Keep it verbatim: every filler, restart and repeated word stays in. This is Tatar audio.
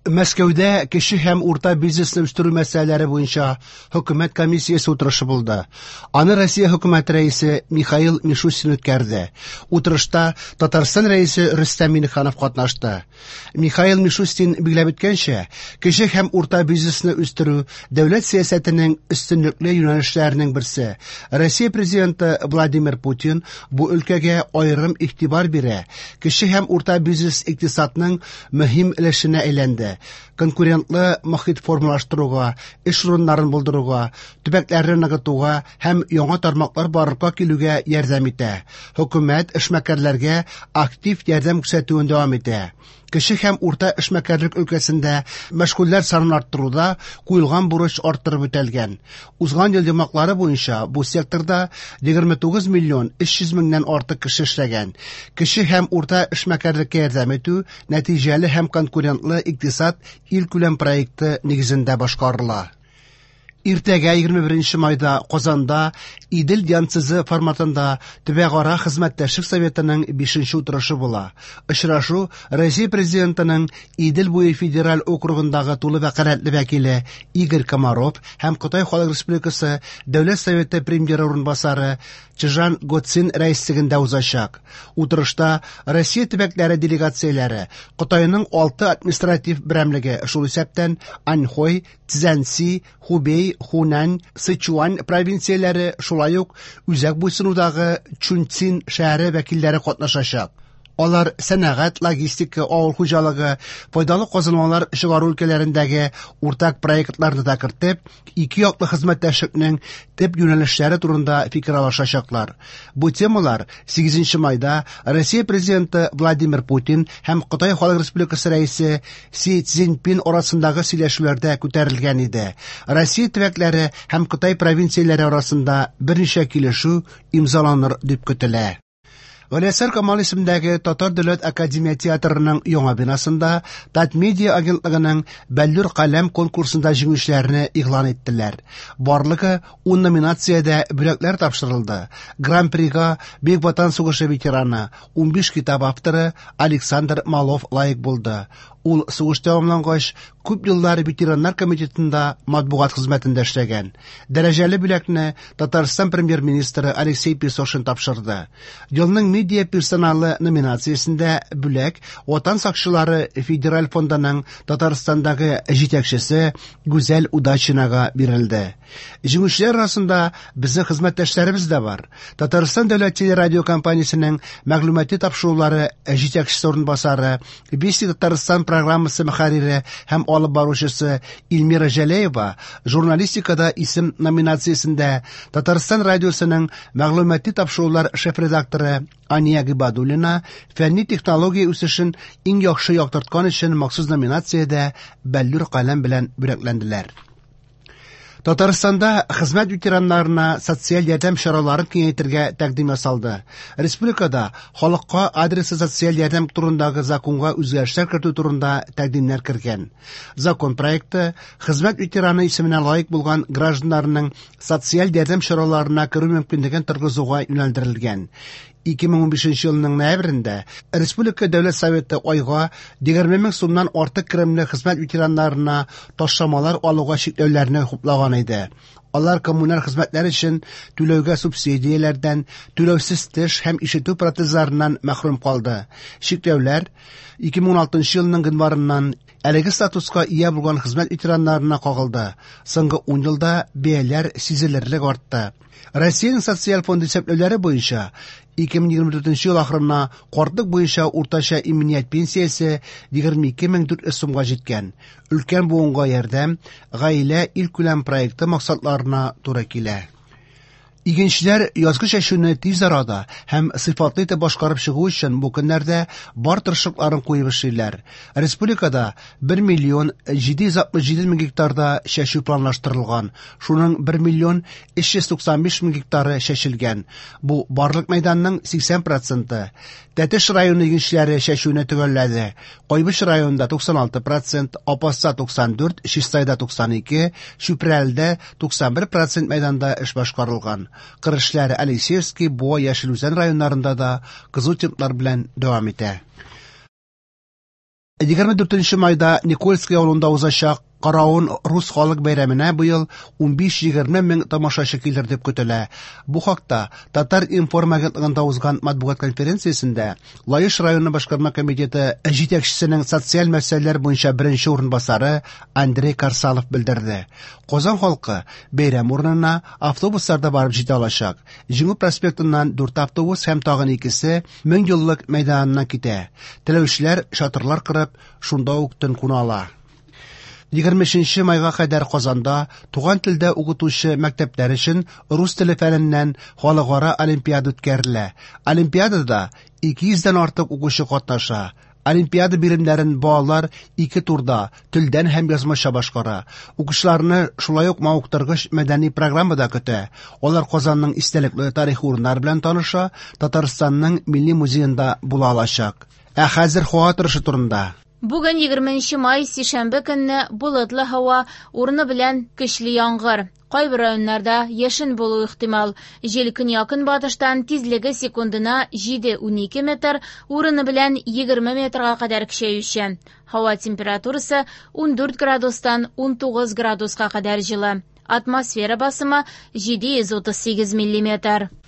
Мәскәүдә кече һәм урта бизнесны үстерү мәсьәләләре буенча хөкүмәт комиссиясе утырышы булды. Аны Россия хөкүмәте рәисе Михаил Мишустин үткәрде. Утырышта Татарстан рәисе Рөстәм Миңнеханов катнашты. Михаил Мишустин билгеләп үткәнчә, кече һәм урта бизнесны үстерү дәүләт сәясәтенең өстенлекле юнәлешләренең берсе. Россия президенты Владимир Путин бу өлкәгә аерым игътибар бирә. Кече һәм урта бизнес икътисадның мөһим өлешенә әйләнде. Конкурентлы мохит формалаштыруга, эш урыннарын булдыруга, төбәкләрне ныгытуга һәм яңа тармаклар барлыкка килүгә ярдәм итә. Хөкүмәт эшмәкәрләргә актив ярдәм күрсәтүен дәвам итә. Кече һәм урта эшмәкәрлек өлкәсендә мәшгульләр санын арттыруда куелган бурыч арттырып үтәлгән. Узган ел йомгаклары буенча бу секторда егерме тугыз миллион өч йөз меңнән артык кеше эшләгән. Кече һәм урта эшмәкәрлеккә ярдәм итү нәтиҗәле һәм конкурентлы икътисад илкүләм проекты нигезендә башкарыла. Иртәгә егерме беренче майда Казанда Идел Янцзы форматында төбәкара хезмәттәшлек советының бишенче утырышы була. Очрашу Россия президентының Идел буе федераль округындагы тулы вәкаләтле вәкиле Игорь Комаров һәм Кытай Халык Республикасы Дәүләт Советы премьеры урынбасары Чжан Гоцин рәислегендә узачак. Утырышта Россия төбәкләре делегацияләре, Кытайның алты административ берәмлеге, шул исәптән Аньхой, Цзянси, Хубей, Хунань, Сычуань провинцияләре, шулай ук үзәк буйсынудагы Чунцин шәһәре вәкилләре катнашачак. Алар сәнәгать, логистика, авыл хуҗалыгы, файдалы казылмалар чыгару өлкәләрендәге уртак проектларны да кертеп, ике яклы хезмәттәшлекнең төп юнәлешләре турында фикер алышачаклар. Бу темалар сигезенче майда Россия президенты Владимир Путин һәм Кытай Халык Республикасы рәисе Си Цзиньпин арасындагы сөйләшүләрдә күтәрелгән иде. Россия төбәкләре һәм Кытай провинцияләре арасында берничә килешү имзаланыр дип көтелә. Галиәсгар Камал исемендәге Татар дәүләт академия театрының яңа бинасында Татмедиа агентлыгының Бәллүр каләм конкурсында җиңүчеләрне игълан иттеләр. Барлыгы ун номинациядә бүләкләр тапшырылды. Гран-прига Бөек Ватан сугышы ветераны, унбиш китап авторы Александр Малов лаек булды. Ул сугыш тәмамлангач, күп еллар ветераннар комитетында матбугат хезмәтендә эшләгән. Дәрәҗәле бүләкне Татарстан премьер-министры Алексей Песошин тапшырды. Елның медиа персоналы номинациясендә бүләк Ватан сакчылары федераль фондының Татарстандагы җитәкчесе Гүзәл Удачинага бирелде. Җиңүчеләр арасында безнең хезмәттәшләребез дә бар. Татарстан дәүләт телерадиокомпаниясенең мәгълүмати тапшырулары җитәкчесе урынбасары, Вести Татарстан программасы мөхәррире һәм алып баручысы Эльмира Җәләева журналистикада исем номинациясендә Татарстан радиосының мәгълүмати тапшырулар шеф-редакторы Ания Гыйбадуллина фәнни технология үсешен иң яхшы яктырткан өчен махсус номинациядә Бәллүр каләм белән бүләкләнделәр. Татарстанда хезмәт ветераннарына социаль ярдәм чараларын киңәйтергә тәкъдим ясалды. Республикада халыкка адреслы социаль ярдәм турындагы законга үзгәрешләр кертү турында тәкъдимнәр кергән. Закон проекты хезмәт ветераны исеменә лаек булган гражданнарның социаль ярдәм чараларына керү мөмкинлеген торгызуга юнәлдерелгән. Ике мең унбишенче елның ноябрендә Республика Дәүләт Советы айга егерме мең сумнан артык керемле хезмәт ветераннарына ташламалар алуга чикләүләрне хуплаган иде. Алар коммуналь хезмәтләр өчен түләүгә субсидияләрдән, түләүсез теш һәм ишетү протезларыннан мәхрүм калды. Чикләүләр ике мең уналтынчы елның гыйнварыннан әлеге статуска ия булган хезмәт ветераннарына кагылды. Соңгы ун елда бәяләр сизелерлек артты. Россиянең социаль фонды исәпләүләре буенча ике мең егерме дүртенче ел ахырына картлык буенча уртача иминият пенсиясе егерме ике мең дүрт йөз сумга җиткән. Өлкән буынга ярдәм гаилә илкүләм проекты максатларына туры килә. Игенчеләр язгы чәчүне тиз арада һәм сыйфатлы итеп башкарып чыгу өчен бу көннәрдә бар тырышлыкларын куеп эшлиләр. Республикада бер миллион җиде йөз алтмыш җиде мең гектарда чәчү планлаштырылган. Шуның бер миллион өч йөз туксан биш мең гектары чәчелгән. Бу барлык мәйданның сиксән проценты. Тәтеш районы игенчеләре чәчүне төгәлләде. Кайбыч районында туксан алты процент, Апаста туксан дүрт, Чистайда туксан ике, Чүпрәледә туксан бер процент мәйданда эш башкарылган. Кыр эшләре Алексеевский, Буа, Яшел Үзән районнарында да кызу темплар белән дәвам итә. Егерме дүртенче майда Никольский авылында узачак Каравон рус халык бәйрәменә быел унбиш-егерме мең тамашачы килер дип көтелә. Бу хакта Татар-информ агентлыгында узган матбугат конференциясендә Лаеш районы башкарма комитеты җитәкчесенең социаль мәсьәләләр буенча беренче урынбасары Андрей Карсалов белдерде. Казан халкы бәйрәм урынына автобусларда барып җитә алачак. Җиңү проспектыннан дүрт автобус һәм тагын икесе Мең еллык мәйданыннан китә. Теләүчеләр чатырлар корып, шунда ук төн куна ала. Егерме өченче майга кадәр Казанда туган телдә укытучы мәктәпләр өчен рус теле фәненнән халыкара олимпиада үткәрелә. Олимпиадада ике йөздән артык укучы катнаша. Олимпиада биремнәрен балалар ике турда телдән һәм язмача башкара. Укучыларны шулай ук мавыктыргыч мәдәни программа да көтә. Алар Казанның истәлекле тарихи урыннары белән таныша, Татарстанның милли музеенда була алачак. Ә хәзер һава торышы турында. Бүген егерменче май, сишәмбе көнне болытлы һава, урыны белән көчле яңгыр. Кайбер районнарда яшен булу ихтимал. Җил көньяк-көнбатыштан тизлеге секундына җиде унике метр, урыны белән егерме метрга кадәр көчәюче. Һава температурасы ундүрт градустан унтугыз градуска кадәр җылы. Атмосфера басымы җиде йөз утыз сигез миллиметр.